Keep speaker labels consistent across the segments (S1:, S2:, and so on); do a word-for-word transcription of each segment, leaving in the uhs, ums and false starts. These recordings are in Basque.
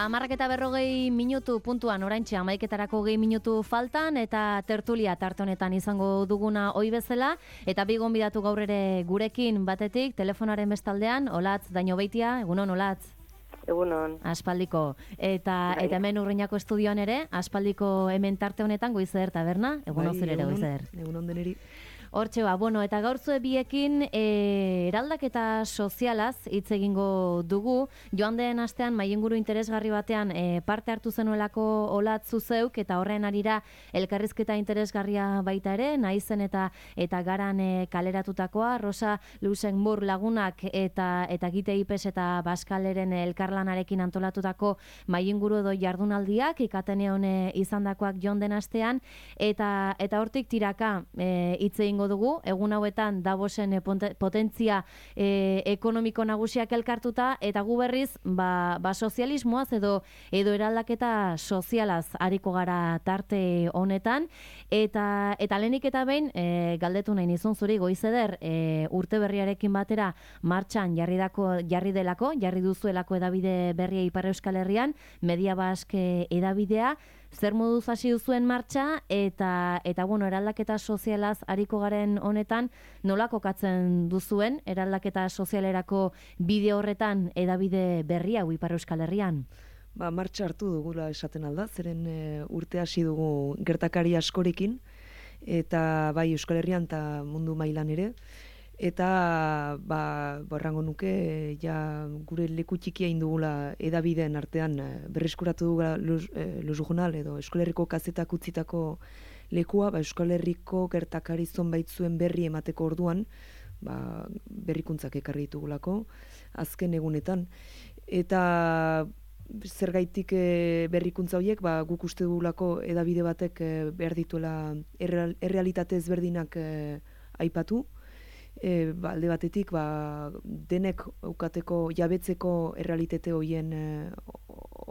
S1: Hamarrak eta berrogei minutu puntuan oraintxe hamaiketarako gehi minutu faltan eta tertulia tarte honetan izango duguna ohi bezala eta bi gonbidatu gaur ere gurekin batetik telefonaren bestaldean Olatz Dañobeitia, egunon Olatz.
S2: Egunon.
S1: Aspaldiko. Eta eta hemen Urruñako estudioan ere, aspaldiko hemen tarte honetan Goizer taberna, egunon zer ere Goizer.
S3: Egunon deneri.
S1: Hortxe ba, bueno, eta gaurtzue biekin e, eraldaketa sozialaz hitz egingo dugu. Joan den astean maienguru interesgarri batean e, parte hartu zenuelako Olatz zeuk eta horren arira elkarrizketa interesgarria baita ere, naizen eta eta garan e, kaleratutakoa, Rosa Luxemburg lagunak eta eta Gite Ipes eta Baskaleren elkarlanarekin antolatutako maienguru edo jardunaldiak ikatenean e, izandakoak joan den astean eta eta hortik tiraka e, hitz egingo dugu, egun hauetan Davosen potentzia e, ekonomiko nagusiak elkartuta eta gu berriz ba, ba sozialismoaz edo edo eraldaketa sozialaz ariko gara tarte honetan eta eta lehenik eta behin e, galdetu nahi nizun zuri Goizeder e, urte berriarekin batera martxan jarri dako jarri delako, jarri duzuelako edabide berria Ipar Euskal Herrian, Media Baske edabidea. Zer moduz hasi duzuen martxa eta eta bueno, eraldaketa sozialaz ariko garen honetan nola kokatzen duzuen eraldaketa sozialerako bide horretan edabide berria Ipar Euskal Herrian?
S3: Ba, martxa hartu dugula esaten alda, zeren e, urte hasi dugu gertakari askorekin eta bai Euskal Herrian eta mundu mailan ere. Eta ba, borrango nuke ja gure leku txikia indugula edabideen artean berreskuratu dugula Luz, eh, Luz Journal edo Euskal Herriko kazetak utzitako lekua, ba, Euskal Herriko gertakari zonbait zuen berri emateko orduan ba, berrikuntzak ekarri ditugulako azken egunetan. Eta zergaitik e, berrikuntza horiek ba, guk uste dugulako edabide batek e, behar dituela erreal, errealitate ezberdinak e, aipatu. E, ba, alde batetik ba, denek ukateko jabetzeko errealitate hoien e,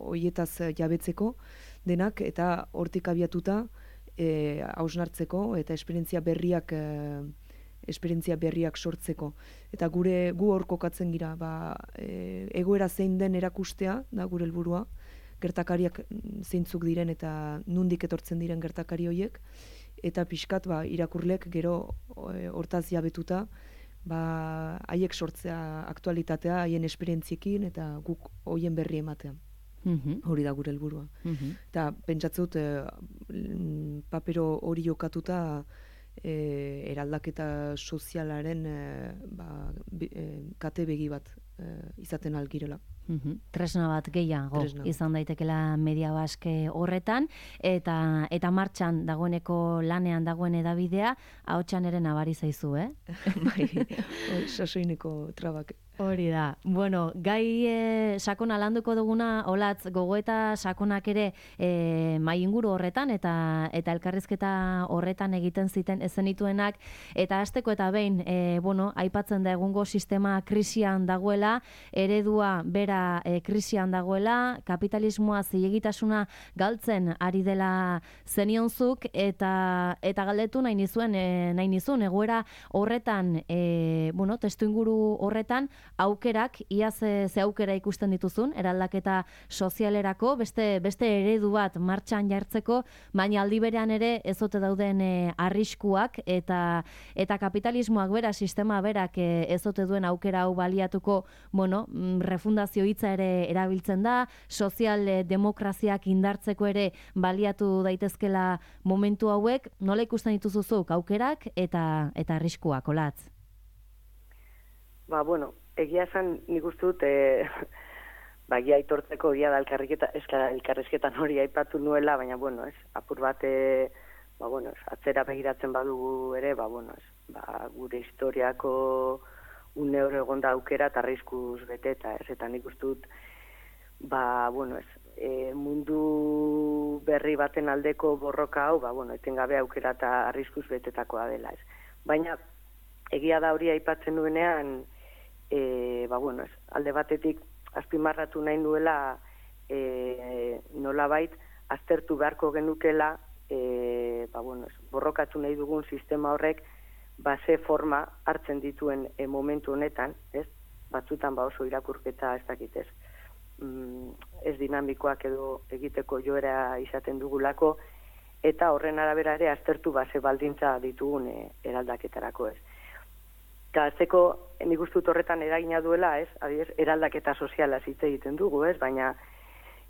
S3: hoietaz jabetzeko denak eta hortik abiatuta e, hausnartzeko eta esperientzia berriak e, esperientzia berriak sortzeko eta gure gu hor kokatzen gira ba, e, egoera zein den erakustea da gure helburua, gertakariak zeintzuk diren eta nundik etortzen diren gertakari hoiek eta pixkat ba, irakurlek gero hortaz jabetuta ba, haiek sortzea aktualitatea haien esperientziekin eta guk hoien berri ematea. Mm-hmm. Hori da gure helburua. Mm-hmm. Eta pentsatzut e, papero hori jokatuta e, eraldaketa sozialaren e, ba, be, e, kate begi bat e, izaten algirela.
S1: Mm-hmm. Tresna bat gehiago Tresna. Izan daitekela Media Baske horretan eta eta martxan dagoeneko lanean dagoen edabidea ahotsan ere nabari zaizu, eh?
S3: Bai, sasoineko trabak.
S1: Hori da. Bueno, gai e, sakona landuko duguna Olatz gogoeta sakonak ere e, mai inguru horretan eta eta elkarrizketa horretan egiten ziten ezenituenak eta hasteko eta behin e, bueno, aipatzen da egungo sistema krisian dagoela, eredua bera e, krisian dagoela, kapitalismoa zilegitasuna galtzen ari dela zenionzuk eta eta galdetu nahi nizuen e, nahi nizun egoera horretan e, bueno, testuinguru horretan aukerak, ia ze, ze aukera ikusten dituzun, eraldaketa sozialerako, beste, beste eredu bat martxan jartzeko, baina aldi berean ere ez ote dauden e, arriskuak eta eta kapitalismoak bera, sistema berak e, ez ote duen aukera hau baliatuko, bueno, refundazio hitza ere erabiltzen da, sozial e, demokraziak indartzeko ere baliatu daitezkela momentu hauek, nola ikusten dituzuzuk aukerak eta eta arriskuak, Olatz?
S2: Ba, bueno, egia esan nik uste dut e, ba, gia aitortzeko egia da elkarrizketan hori aipatu nuela, baina, bueno, ez, apur bat e, ba, bueno, ez, atzera begiratzen badugu ere, ba, bueno, ez, ba, gure historiako un euro egonda aukera eta arriskuz bete, eta ez, eta nik uste dut, ba, bueno, ez, e, mundu berri baten aldeko borroka hau, ba, bueno, etengabe aukera eta arriskuz betetakoa dela, ez. Baina, egia da hori aipatzen duenean, E, ba, bueno, ez, alde batetik azpimarratu nahi nuela e, nolabait aztertu beharko genukela e, ba, bueno, ez, borrokatu nahi dugun sistema horrek ba, ze forma hartzen dituen e, momentu honetan, ez? Batzutan ba, oso irakurketa ez dakit ez. mm, ez dinamikoak edo egiteko joera izaten dugulako, eta horren arabera ere aztertu base baldintza ditugun e, eraldaketarako ez. Eta azteko, nik uste dut horretan eragina duela, ez? Adibidez, eraldaketa soziala hitz egiten dugu, ez? Baina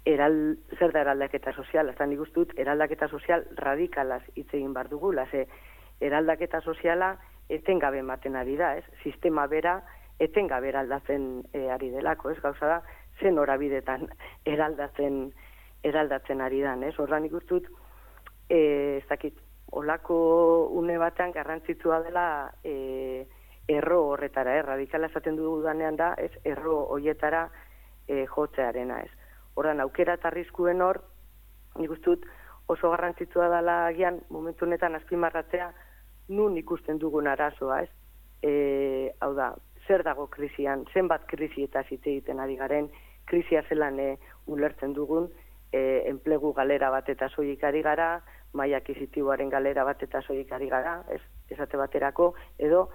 S2: eral, zer da eraldaketa soziala? Eta nik uste dut eraldaketa sozial radikalaz hitz egin bar dugula, ze eraldaketa soziala etengabe ematen ari da, ez? Sistema bera etengabe eraldatzen e, ari delako, ez? Gauza da, zen horabidetan eraldatzen eraldatzen ari dan, ez? Horra nik uste dut, E, ez dakit, olako une batean garrantzitsua dela e, erro horretara, eh? Radikala esaten dudanean da, ez erro hoietara e, jotzearena, ez. Horran, aukera eta arriskuen hor, nik uste dut oso garrantzitsua dela agian, momentu honetan azpimarratzea, nun ikusten dugun arazoa, ez. E, hau da, zer dago krisian, zenbat krisi eta hitz egiten ari garen, krisia zelan e, ulertzen dugun, E, enplegu galera bat eta soilik ari gara, maila akisitiboaren galera bat eta soilik ari gara, ez, esate baterako, edo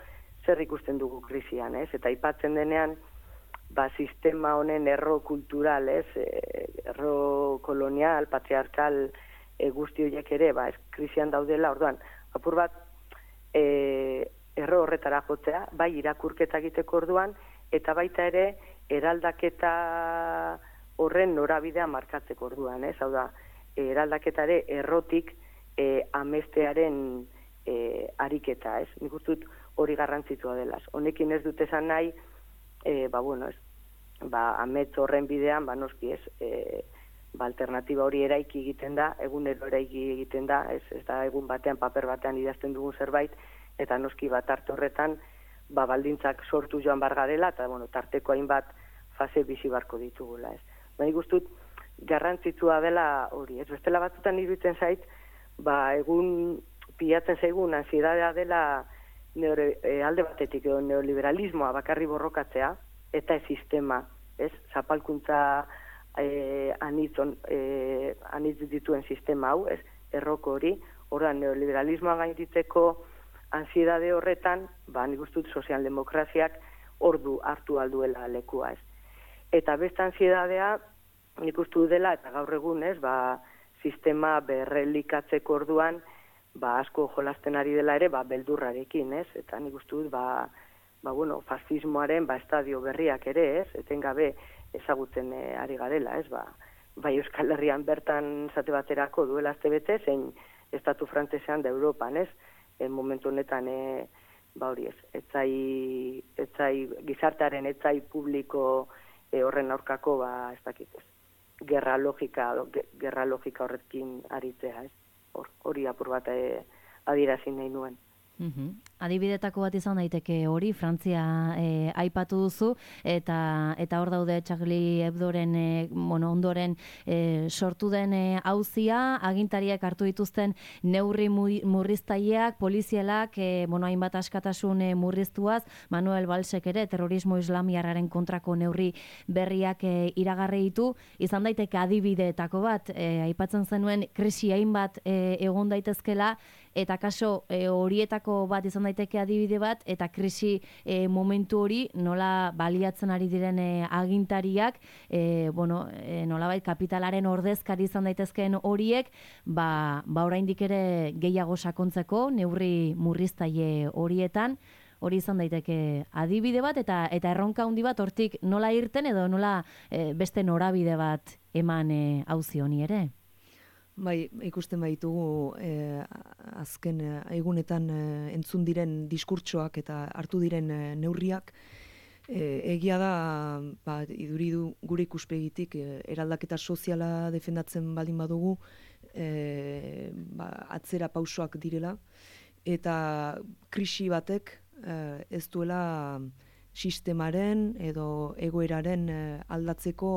S2: zer ikusten dugu krisian, ez? Eta aipatzen denean, ba, sistema honen erro kultural, ez? E, erro kolonial, patriarkal, e, guzti horiek ere, ba, ez, krisian daudela, orduan, apur bat, e, erro horretara jotzea, bai irakurketa egiteko orduan, eta baita ere, eraldaketa horren norabidea markatzeko orduan, ez? Hau da, eraldaketare errotik e, amestearen e, ariketa, ez? Nik uste dut hori garrantzitsua delaz. Honekin ez dut esan nahi, e, ba, bueno, ez, ba, amets horren bidean, ba, noski, ez, e, ba, alternatiba hori eraiki egiten da, egunero eraiki egiten da, ez, ez da egun batean, paper batean idazten dugun zerbait, eta noski bat arte horretan, ba, baldintzak sortu joan bargarela, eta, bueno, tarteko hainbat fase bizi barko ditugula, ez. Baina guztut, garrantzitsua dela hori, ez bestela batzutan iruditzen zait, ba, egun pilatzen zaigun ansiedadea dela neore, e, alde batetik edo neoliberalismoa bakarri borrokatzea, eta ez sistema, ez, zapalkuntza e, anitzon, e, anitz dituen sistema hau, ez, erroko hori, orduan neoliberalismoa gainditzeko ansiedade horretan, ba, nik uste dut sozialdemokraziak ordu hartu alduela lekua, ez. Eta beste ansiedadea, nik uste dela, eta gaur egun, ez, ba, sistema berrelikatzeko orduan, ba, asko jolasten ari dela ere, ba, beldurrarekin, ez, eta nik uste dut, ba, ba, bueno, fascismoaren, ba, estadio berriak ere, ez, etengabe ezagutzen e, ari garela, ez, ba, bai Euskal Herrian bertan zate baterako duela azte bete, zein estatu frantzesean da Europan, ez, en momentu honetan, e, ba, hori ez, etzai, etzai, gizartearen etzai publiko, E, horren aurkako, ba, ez dakit, ez, gerra logika, gerra logika horrekin aritzea, ez, hor, hori apur bat e, adierazi nahi nuen.
S1: Uhum. Adibidetako bat izan daiteke hori, Frantzia e, aipatu duzu, eta eta hor daude Charlie Hebdoren e, bueno, ondoren e, sortu den e, auzia, agintariak hartu dituzten neurri murriztaileak, polizialak, e, bueno, hainbat askatasun e, murriztuaz, Manuel Valsek ere terrorismo islamiarraren kontrako neurri berriak e, iragarri ditu, izan daiteke adibideetako bat, e, aipatzen zenuen krisi hainbat e, egon daitezkela, eta kaso e, horietako bat izan daiteke adibide bat, eta krisi e, momentu hori nola baliatzen ari diren e, agintariak, e, bueno, e, nolabait kapitalaren ordezkari izan daitezkeen horiek, ba, ba oraindik ere gehiago sakontzeko neurri murriztaile horietan, hori izan daiteke adibide bat, eta eta erronka handi bat hortik nola irten edo nola e, beste norabide bat eman e, auzi honi ere.
S3: Bai, ikusten baitugu eh, azken eh, egunetan eh, entzun diren diskurtsoak eta hartu diren eh, neurriak, eh, egia da, ba, iduri du gure ikuspegitik eh, eraldaketa soziala defendatzen baldin badugu, eh, ba, atzera pausoak direla, eta krisi batek eh, ez duela sistemaren edo egoeraren eh, aldatzeko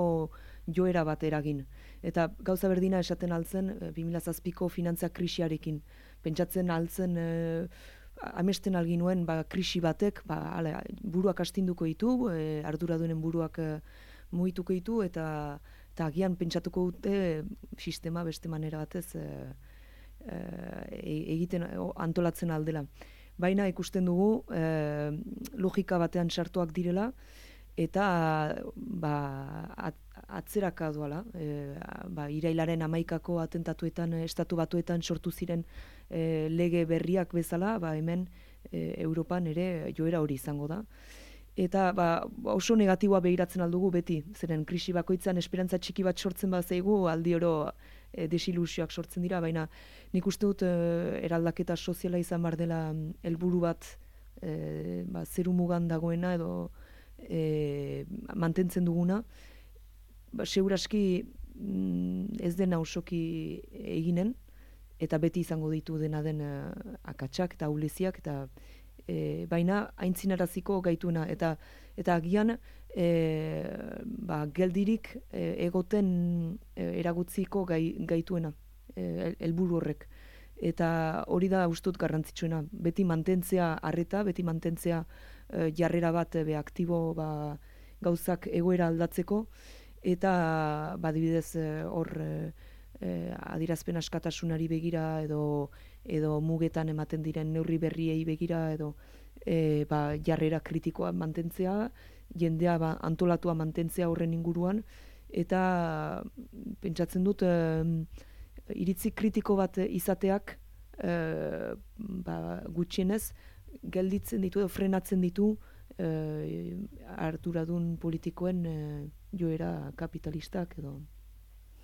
S3: joera bat eragin. Eta gauza berdina esaten altzen bi mila zazpiko finantza krisiarekin. Pentsatzen altzen e, amesten alginuen ba, krisi batek ba, ale, buruak astinduko ditu, e, arduradunen buruak e, mugituko ditu, eta, eta agian pentsatuko dute sistema beste manera batez e, e, egiten antolatzen aldela. Baina ikusten dugu e, logika batean sartuak direla, eta ba, at, atzeraka doala, e, ba, irailaren hamaikako atentatuetan, estatu batuetan sortu ziren e, lege berriak bezala, ba, hemen e, Europan ere joera hori izango da. Eta ba, oso negatiboa behiratzen aldugu beti, zeren krisi bakoitzan esperantza txiki bat sortzen bat zeigu, aldi oro e, desilusioak sortzen dira, baina nik uste dut e, eraldaketa soziala izan bar dela helburu bat e, ba, zeru mugan dagoena edo e, mantentzen duguna, ba, seguraski mm, ez dena osoki eginen, eta beti izango ditu dena den uh, akatsak eta auleziak, eta e, baina aintzinaraziko gaituena, eta eta agian e, ba, geldirik e, egoten e, eragutziko gai, gaituena, e, helburu horrek. Eta hori da ustut garrantzitsuena, beti mantentzea arreta, beti mantentzea e, jarrera bat be aktibo ba, gauzak egoera aldatzeko, eta badibidez hor e, eh, adierazpen askatasunari begira edo edo mugetan ematen diren neurri berriei begira edo eh, ba, jarrera kritikoa mantentzea, jendea ba, antolatua mantentzea horren inguruan, eta pentsatzen dut eh, iritzi kritiko bat izateak eh, ba, gutxienez gelditzen ditu edo frenatzen ditu eh, arduradun politikoen eh, joera kapitalistak edo.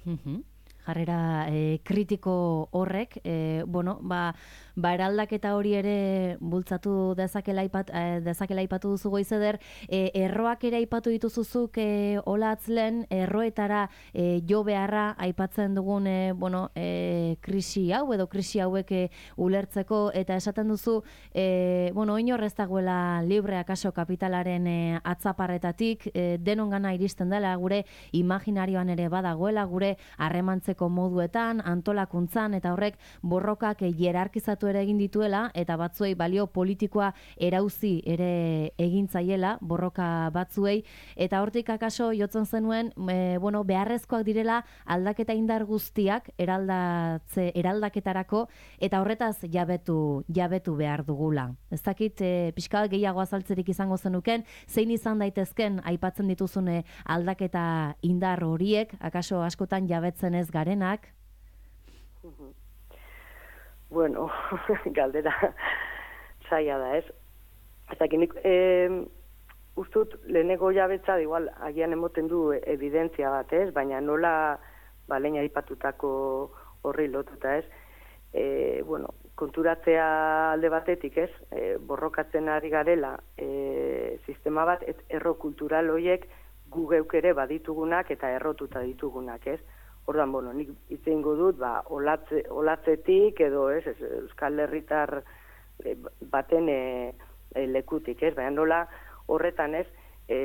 S1: Mhm. Jarrera e, kritiko horrek, e, bueno, ba, ba eraldaketa hori ere bultzatu dezakela aipat, e, dezakela aipatu duzu Goizeder, e, erroak ere aipatu dituzuzuk e, olatzlen, erroetara e, jo beharra aipatzen dugun e, bueno, e, krisi hau edo krisi hauek e, ulertzeko, eta esaten duzu, e, bueno, inor ez dagoela libre akaso kapitalaren e, atzaparretatik, e, denongana iristen dela, gure imaginarioan ere badagoela, gure harremantzeko moduetan, antolakuntzan, eta horrek borrokak hierarkizatu ere egin dituela, eta batzuei balio politikoa erauzi ere egintzaiela, borroka batzuei, eta hortik akaso jotzen zenuen, e, bueno, beharrezkoak direla aldaketa indar guztiak eraldatze, eraldaketarako, eta horretaz jabetu, jabetu behar dugula. Ez dakit, e, pixka bat gehiago azaltzerik izango zenuken, zein izan daitezken aipatzen dituzune aldaketa indar horiek, akaso askotan jabetzen ez garenak?
S2: Bueno, galdera zaila da, ez? Eta nik eh, ustut leheneko jabetza, igual, agian emoten du evidentzia bat, ez? Baina nola ba, leina aipatutako horri lotuta, ez? E, bueno, konturatzea alde batetik, ez? E, borrokatzen ari garela e, sistema bat, et, erro kultural horiek gu geuk ere baditugunak eta errotuta ditugunak, ez? Ordan, bueno, nik itzengo dut, ba, olatze, olatzetik edo, ez, ez, Euskal Herritar e, baten e, e, lekutik, ez? Baina nola horretan, ez, e,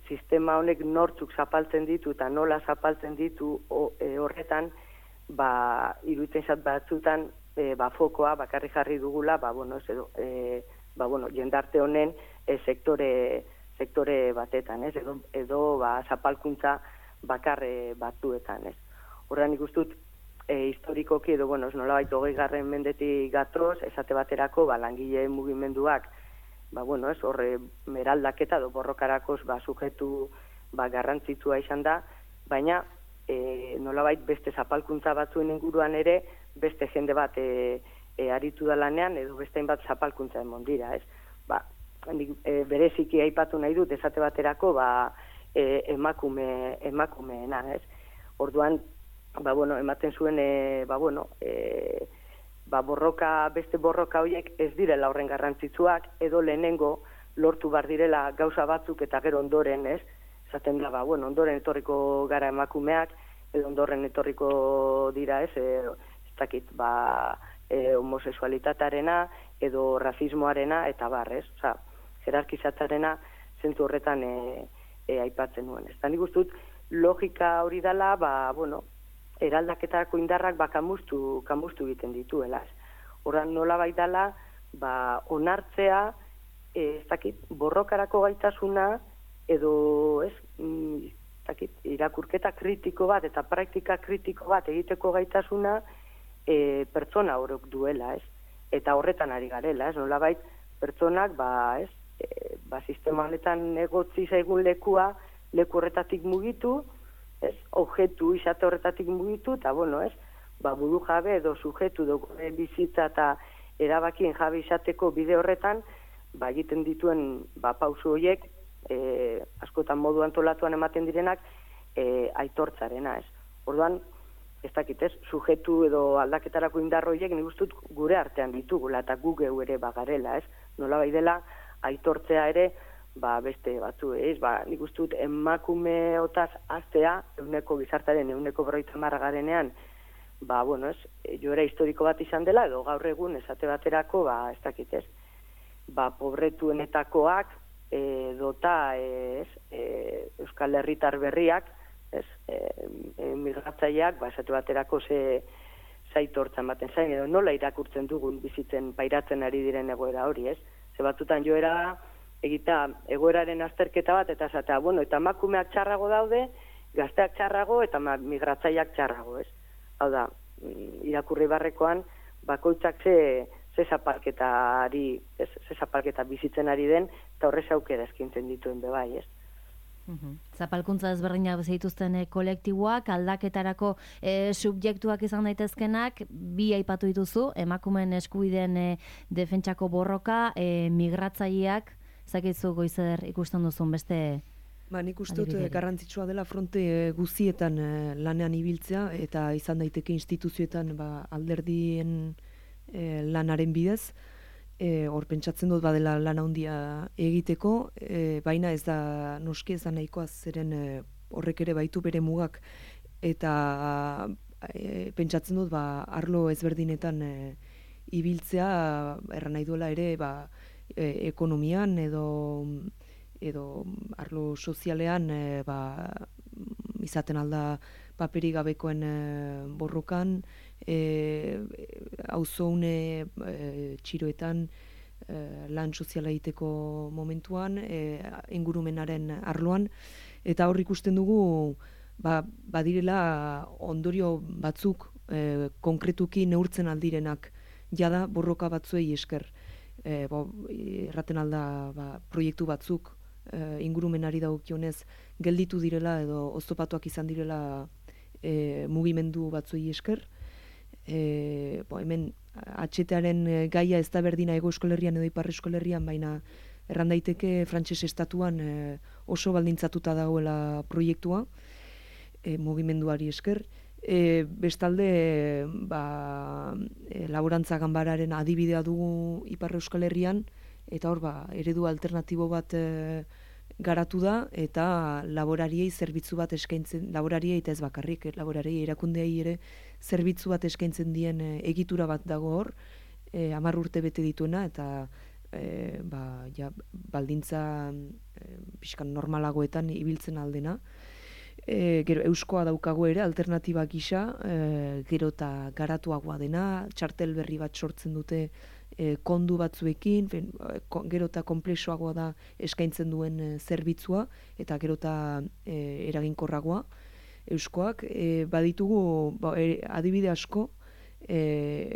S2: sistema honek nortzuk zapaltzen ditu eta nola zapaltzen ditu o, e, horretan, ba, iruditzen zat batzutan, e, ba, fokoa bakarri jarri dugula, ba, bueno, ez, edo, e, ba, bueno, jendarte honen e, sektore, sektore batetan, ez? Edo, edo ba, zapalkuntza bakarre batzuetan, ez? Horrean nik ustut, e, historikoki edo, bueno, ez nolabait hogei garren mendetik gatoz, esate baterako, ba, langile mugimenduak, ba, bueno, ez, horre meraldaketa edo borrokarakoz, ba, sujetu, ba, garrantzitsua izan da, baina, e, nolabait beste zapalkuntza batzuen inguruan ere, beste jende bat e, e, aritu da lanean, edo beste bat zapalkuntza emon dira, ez? Ba, nik, e, bereziki aipatu nahi dut, esate baterako, ba, e, emakume, emakumeena, ez? Orduan, ba, bueno, ematen zuen, e, ba, bueno, e, ba, borroka, beste borroka horiek ez direla horren garrantzitsuak, edo lehenengo lortu bar direla gauza batzuk eta gero ondoren, ez? Esaten da, ba, bueno, ondoren etorriko gara emakumeak, edo ondoren etorriko dira, ez? E, ez dakit, ba, e, homosexualitatearena, edo rasismoarena, eta bar, ez? Osa, jerarkizatzarena zentzu horretan e, e, aipatzen nuen. Ez da, nik ustut, logika hori dela, ba, bueno, eraldaketako indarrak ba, kamustu, kamustu egiten dituela. Horran nola baitala, ba, onartzea, e, ez dakit, borrokarako gaitasuna, edo, ez, mm, ez dakit, irakurketa kritiko bat, eta praktika kritiko bat egiteko gaitasuna, e, pertsona horok duela, ez? Eta horretan ari garela, ez? Nola bait, pertsonak, ba, ez, e, ba, sistema honetan egotzi zaigun lekua, leku horretatik mugitu, ez, objektu izate horretatik mugitu, eta, bueno, ez, ba, buru jabe edo sujetu edo bizitza eta erabakien jabe izateko bide horretan, ba, egiten dituen, ba, pausu horiek, e, askotan modu antolatuan ematen direnak, e, aitortzarena, ez. Orduan, ez dakit, ez, sujetu edo aldaketarako indarroiek nik uste dut gure artean ditugula eta gu geu ere bagarela, ez? Nola bai dela, aitortzea ere, ba, beste batzu, ez? Ba, nik uste dut emakume otaz aztea, euneko gizartaren, euneko berroita marra garenean, ba, bueno, ez, joera historiko bat izan dela, edo gaur egun esate baterako, ba, ez dakit, ez? Ba, pobretuenetakoak, e, dota, ez, e, Euskal Herritar berriak, ez, e, e, migratzaileak, ba, esate baterako ze zaitortzan baten zain, edo nola irakurtzen dugun bizitzen pairatzen ari diren egoera hori, ez? Ze batzutan joera egita egoeraren azterketa bat, eta esatea, bueno, eta emakumeak txarrago daude, gazteak txarrago, eta migratzaileak txarrago, ez? Hau da, irakurri barrekoan, bakoitzak ze, ze zapalketari, ez, ze zapalketa bizitzen ari den, eta horrez aukera eskintzen dituen bebai, ez?
S1: Uhum. Zapalkuntza ezberdinak zituzten e, kolektiboak, aldaketarako e, subjektuak izan daitezkenak, bi aipatu dituzu, emakumeen eskubideen e, defentsako borroka, e, migratzaileak, zakitzu Goizer ikusten duzun beste...
S3: Ba, nik uste dut garrantzitsua dela fronte guzietan e, lanean ibiltzea, eta izan daiteke instituzioetan ba, alderdien e, lanaren bidez, E, hor pentsatzen dut badela lan handia egiteko, e, baina ez da noski ez da nahikoa zeren e, horrek ere baitu bere mugak, eta e, pentsatzen dut ba, arlo ezberdinetan e, ibiltzea erran nahi duela ere ba, e, ekonomian edo, edo arlo sozialean e, ba, izaten alda paperik gabekoen e, borrokan, auzoune e, txiroetan e, lan soziala egiteko momentuan, e, ingurumenaren arloan, eta hor ikusten dugu ba, badirela ondorio batzuk e, konkretuki neurtzen aldirenak jada borroka batzuei esker. E, bo, erraten alda ba, proiektu batzuk e, ingurumenari dagokionez gelditu direla edo oztopatuak izan direla e, mugimendu batzuei esker. E, bo, hemen atxetearen gaia ez da berdina Hego Euskal Herrian edo Ipar Euskal Herrian, baina erran daiteke frantses estatuan e, oso baldintzatuta dagoela proiektua e, mugimenduari esker. E, bestalde ba, e, laborantza ganbararen adibidea dugu Ipar Euskal Herrian, eta hor ba, eredu alternatibo bat e, garatu da, eta laborariei zerbitzu bat eskaintzen, laborariei eta ez bakarrik, laborariei erakundeei ere zerbitzu bat eskaintzen dien e, egitura bat dago hor, e, hamar urte bete dituena, eta e, ba, ja, baldintza e, pixkan normalagoetan ibiltzen aldena. E, gero, euskoa daukago ere, alternatiba gisa, e, gero eta garatuagoa dena, txartel berri bat sortzen dute e, kondu batzuekin, fen, gero eta komplexoagoa da eskaintzen duen e, zerbitzua, eta gero eta e, eraginkorragoa euskoak. E, baditugu ba, e, adibide asko, e,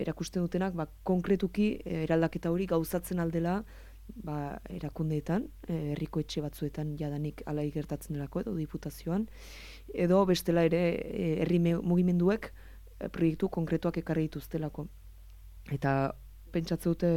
S3: erakusten dutenak, ba, konkretuki e, eraldaketa hori gauzatzen aldela, ba, erakundeetan, herriko etxe batzuetan jadanik alai gertatzen delako, edo diputazioan, edo bestela ere herri mugimenduek proiektu konkretuak ekarri dituztelako. Eta pentsatzen dute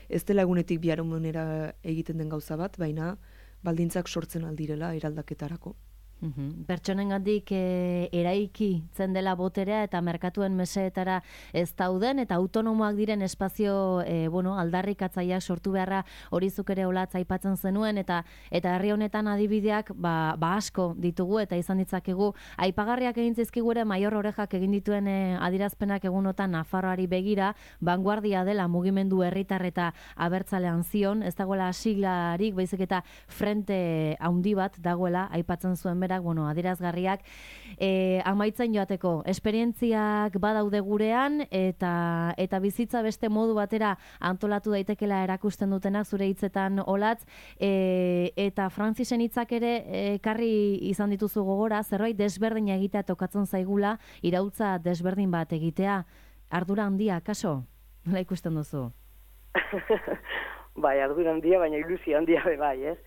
S3: ez dela egunetik biharamunera egiten den gauza bat, baina baldintzak sortzen aldirela eraldaketarako.
S1: Uhum. Pertsonengandik e, eraiki zen dela boterea eta merkatuen meseetara ez dauden eta autonomoak diren espazio e, bueno, aldarrikatzaileak sortu beharra hori zuk ere olatz aipatzen zenuen, eta eta herri honetan adibideak ba, ba asko ditugu eta izan ditzakegu aipagarriak egin zizkigu ere Maior Orejak egin dituen e, adirazpenak egunotan Nafarroari begira, vanguardia dela mugimendu herritar eta abertzalean zion, ez dagoela siglarik, baizik eta frente handi bat dagoela aipatzen zuen berak, bueno, adierazgarriak, e, amaitzen joateko, esperientziak badaude gurean, eta eta bizitza beste modu batera antolatu daitekela erakusten dutenak zure hitzetan olatz, e, eta Frantzisen hitzak ere ekarri izan dituzu gogora, zerbait desberdina egitea tokatzen zaigula, iraultza desberdin bat egitea, ardura handia, kaso? Nola ikusten duzu?
S2: bai, ardura handia, baina ilusio handia be bai, ez?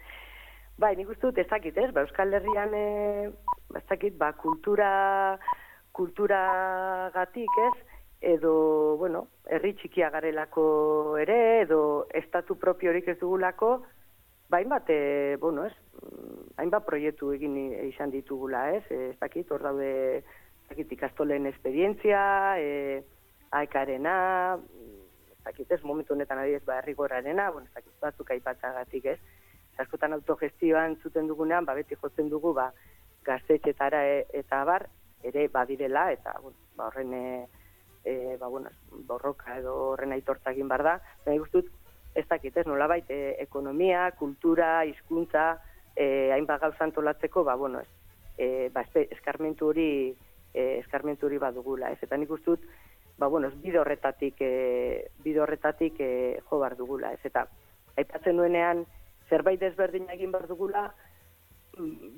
S2: Bai, nik uste dut ez dakit, ez? Ba, Euskal Herrian, e, ez dakit, ba, kultura, kulturagatik, ez? Edo, bueno, herri txikia garelako ere, edo estatu propiorik ez dugulako, ba, hainbat, e, bueno, ez? Hainbat proiektu egin izan ditugula, ez? Ez dakit, hor daude, ez dakit, ikastolen esperientzia, e, aekarena, ez dakit, ez? Momentu honetan adibidez, ba, herrigorrarena, bueno, ez dakit, batzuk aipatzagatik, ez? Askotan autogestioan zuten dugunean, ba, beti jotzen dugu, ba, gaztetxetara e, eta bar, ere badirela, eta, bueno, ba, horren, e, e, ba, bueno, borroka edo horren aitortza egin bar da. Baina guztut, ez dakit, ez, nolabait, e, ekonomia, kultura, hizkuntza, e, hainbat gauza antolatzeko, ba, bueno, ez, e, ba, eskarmentu hori, e, eskarmentu hori badugula, ez, eta nik guztut, ba, bueno, ez, bide horretatik, e, bide horretatik e, jo bar dugula, ez, eta aipatzen nuenean, zerbait desberdin egin behar dugula,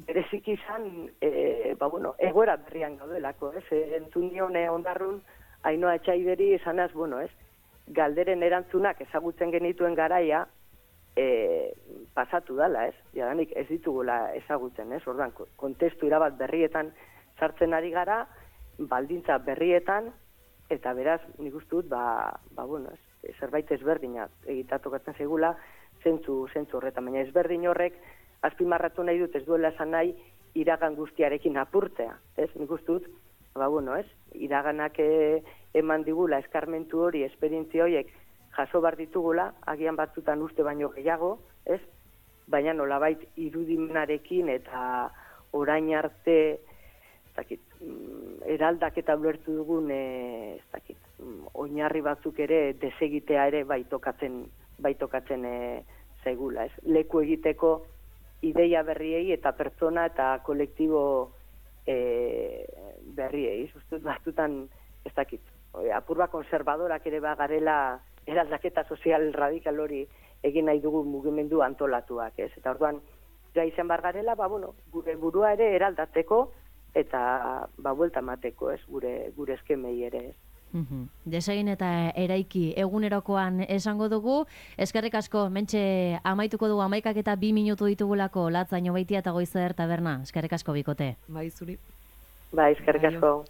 S2: bereziki izan, e, ba, bueno, egoera berrian gaudelako, ez? E, entzun nione ondarrun, Ainoa Etxaideri esanaz, bueno, ez? Galderen erantzunak ezagutzen genituen garaia, e, pasatu dala, ez? Jadanik ez ditugula ezagutzen, ez? Ordan, kontestu irabat berrietan sartzen ari gara, baldintza berrietan, eta beraz, nik uste dut, ba, ba, bueno, ez? Zerbait ezberdinak egitatokatzen zaigula, zentzu, zentzu horretan, baina ezberdin horrek, azpimarratu nahi dut ez duela esan nahi, iragan guztiarekin apurtzea, ez? Nik uste dut, ba, bueno, ez? Iraganak e, eman digula eskarmentu hori, esperientzia horiek jaso bar ditugula, agian batzutan uste baino gehiago, ez? Baina nolabait irudimenarekin eta orain arte, ez dakit, eraldaketa ulertu dugun, e, ez dakit, oinarri batzuk ere desegitea ere bai tokatzen bai tokatzen e, zaigula, ez? Leku egiteko ideia berriei eta pertsona eta kolektibo e, berriei, ustut batzutan, ez dakit, apurba konservadorak ere bagarela eraldaketa sozial radikal hori egin nahi dugu mugimendu antolatuak, ez? Eta orduan, gai izan bar garela, ba, bueno, gure burua ere eraldatzeko eta ba, buelta mateko, ez? Gure, gure eskemei ere, ez?
S1: Uhum. Desegin eta eraiki egunerokoan esango dugu. Eskerrik asko, mentxe amaituko dugu amaikak eta bi minutu ditugulako Latzaino Beitia eta Goizer taberna. Eskerrik asko bikote.
S3: Bai, zuri.
S2: Bai, eskerrik asko.